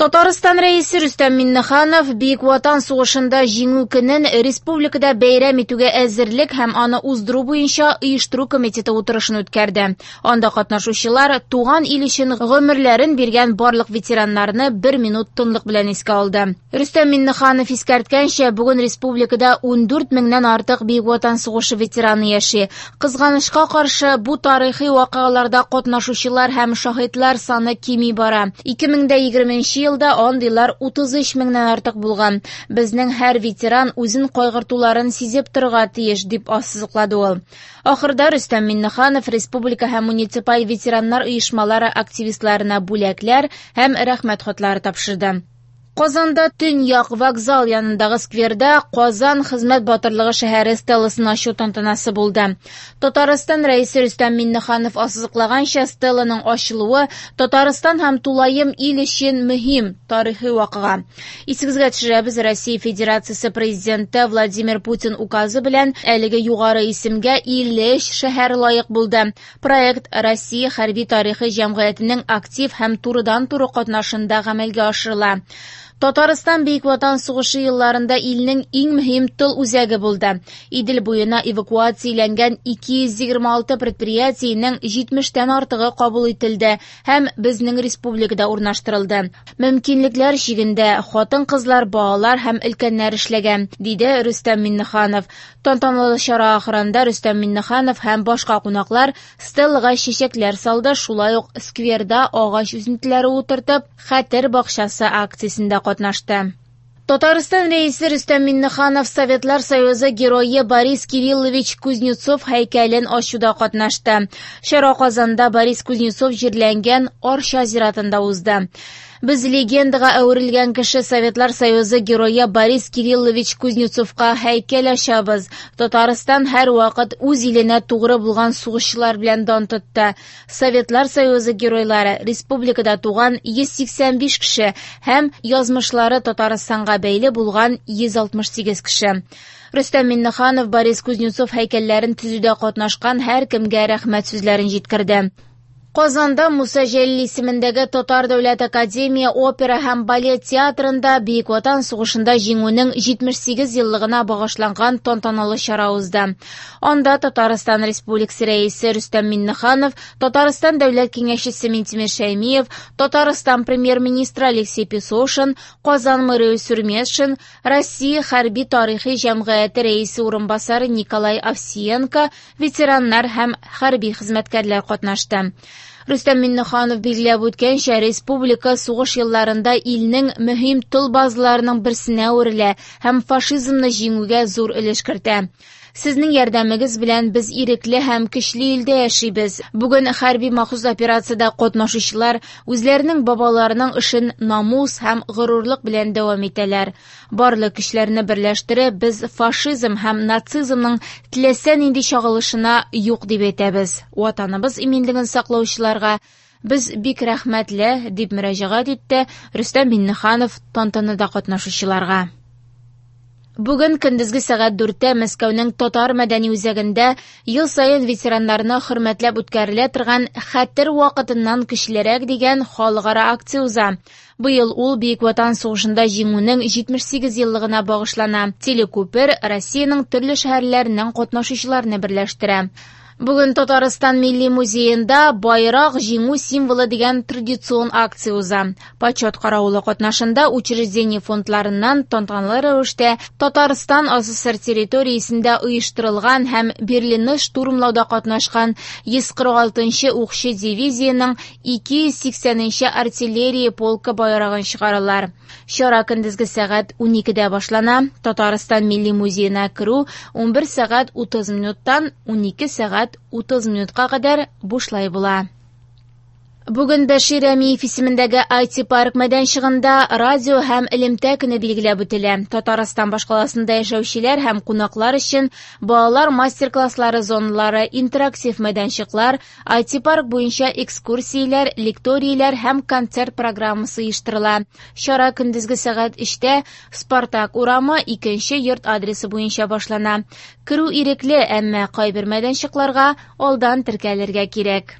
Татарстан Рәисе Рөстәм Миңнеханов Бөек Ватан сугышында Җиңү көнен республикада бәйрәм итүгә әзерлек һәм аны уздыру буенча оештыру комитеты утырышын үткәрде. Анда катнашучылар туган ил өчен гомерләрен биргән барлык ветераннарны бер минут тынлык белән искә алды. Рөстәм Миңнеханов искәрткәнчә, бүген республикада 14 меңнән артык Бөек Ватан сугышы ветераны яши. Кызганычка каршы, бу тарихи вакыйгаларда катнашучылар һәм шаһитлар саны кими бара. 2020 елда андыйлар 33 меңнән артык булган. Безнең һәр ветеран үзен кайгыртуларын сизеп торырга тиеш, дип ассызыклады ул. Ахырда Рөстәм Миңнеханов республика һәм муниципаль ветераннар оешмалары активистларына бүләкләр һәм рәхмәт хатлары тапшырды. Казанда Төньяк вокзал янындагы скверда Казан хезмәт батырлыгы шәһәре стеласын ачу тантанасы булды. Татарстан Рәисе Рөстәм Миңнеханов ассызыклаганча, стеланың ачылуы Татарстан һәм тулаем ил өчен мөһим тарихи вакыйга. Исегезгә төшерәбез, Россия Федерациясе Президенты Владимир Путин указы белән әлеге югары исемгә 53 шәһәр лаек булды. Проект Россия хәрби тарихы җәмгыятенең актив һәм турыдан-туры катнашында гамәлгә ашырыла. Татарстан Бөек Ватан сугышы елларында илнең иң мөһим тыл үзәге булды. Идел буена эвакуацияләнгән 226 предприятиенең 70-тән артыгы кабул ителде һәм безнең республикада урнаштырылды. Мөмкинлекләр чигендә хатын-кызлар, балалар һәм өлкәннәр эшләгән, диде Рөстәм Миңнеханов. Тантаналы чара ахырында Рөстәм Миңнеханов һәм башка кунаклар стеллага чәчәкләр салды, шулай ук скверда агач үсентеләре утыртып, Хәтер бакчасы акциясендә катнашты. Татарстан Рәисе Рөстәм Миңнеханов Советлар Союзы герое Борис Кириллович Кузнецов һәйкәлен ачуда катнашты. Чара Казанда Борис Кузнецов җирләнгән Арча зиратында узды. Без легендага әверелгән кеше Советлар Союзы герое Борис Кириллович Кузнецовка һәйкәл ачабыз. Татарстан һәрвакыт үз иленә тугры булган сугышчылар белән дан тотты. Советлар Союзы геройлары республикада туган 185 кеше һәм язмышлары Татарстанга бәйле булган 168 кеше. Рөстәм Миңнеханов Борис Кузнецов һәйкәлләрен төзүдә катнашкан һәркемгә рәхмәт сүзләрен җиткерде. Казанда Муса Җәлил исемендәге Татар дәүләт академия опера һәм балет театрында Бөек Ватан сугышында җиңүнең 78 еллыгына багышланган тантаналы чара узды. Анда Татарстан Республикасы Рәисе Рөстәм Миңнеханов, Татарстан Дәүләт Киңәшчесе Минтимер Шәймиев, Татарстан Премьер-министры Алексей Песошин, Казан мэры Илсур Метшин, Россия хәрби тарихи җәмгыяте рәисе урынбасары Николай Овсиенко, ветераннар һәм хәрби хезмәткәрләр катнашты. Рөстәм Миңнеханов билгеләп үткәнчә, республика сугыш елларында илнең мөһим тыл базаларының берсенә әверелә һәм фашизмны җиңүгә зур өлеш кертә. Сезнең ярдәмегез белән без ирекле һәм көчле илдә яшибез. Бүген хәрби махсус операциядә катнашучылар үзләренең бабаларының эшен намус һәм горурлык белән дәвам итәләр. Барлык көчләрне берләштереп, без фашизм һәм нацизмның теләсә нинди чагылышына юк дип әйтәбез. Ватаныбыз иминлеген саклаучыларга без бик рәхмәтле, дип мөрәҗәгать итте Рөстәм Миңнеханов тантанада катнашучыларга. Бүген көндезге сәгать 4-тә Мәскәүнең Татар мәдәни үзәгендә ел саен ветераннарны хөрмәтләп үткәрелә торган Хәтер вакытыннан көчлерәк дигән халыкара акция уза. Быел ул Бөек Ватан сугышында җиңүнең 78 еллыгына багышлана. Телекүпер Россиянең төрле шәһәрләреннән катнашучыларны берләштерә. Бүген Татарстан Милли музеенда Байрак җиңү символы дигән традицион акция уза. Почет каравылы катнашында учреждение фондларыннан тантаналы рәвештә Татарстан АССР территориясендә оештырылган һәм Берлинны штурмлауда катнашкан 146 укчы дивизиянең 280 артиллерия полкы байрагын чыгаралар. Чара көндезге сәгать 12-дә башлана. Татарстан Милли музеена керү 11 сәгать 30 минуттан 12 сәгать 30 минутка кадәр бушлай була. Бүген Бәшир Рәмиев исемендәге IT-парк мәйданчыгында радио һәм элемтә көне билгеләп үтелә. Татарстан башкаласында яшәүчеләр һәм кунаклар өчен балалар мастер-класслары зоналары, интерактив мәйданчыклар, IT-парк буенча экскурсияләр, лекторияләр һәм концерт программасы оештырыла. Чара көндезге сәгать 3-тә Спартак урамы 2 йорт адресы буенча башлана. Керү ирекле, әмма кайбер мәйданчыкларга алдан теркәлергә кирәк.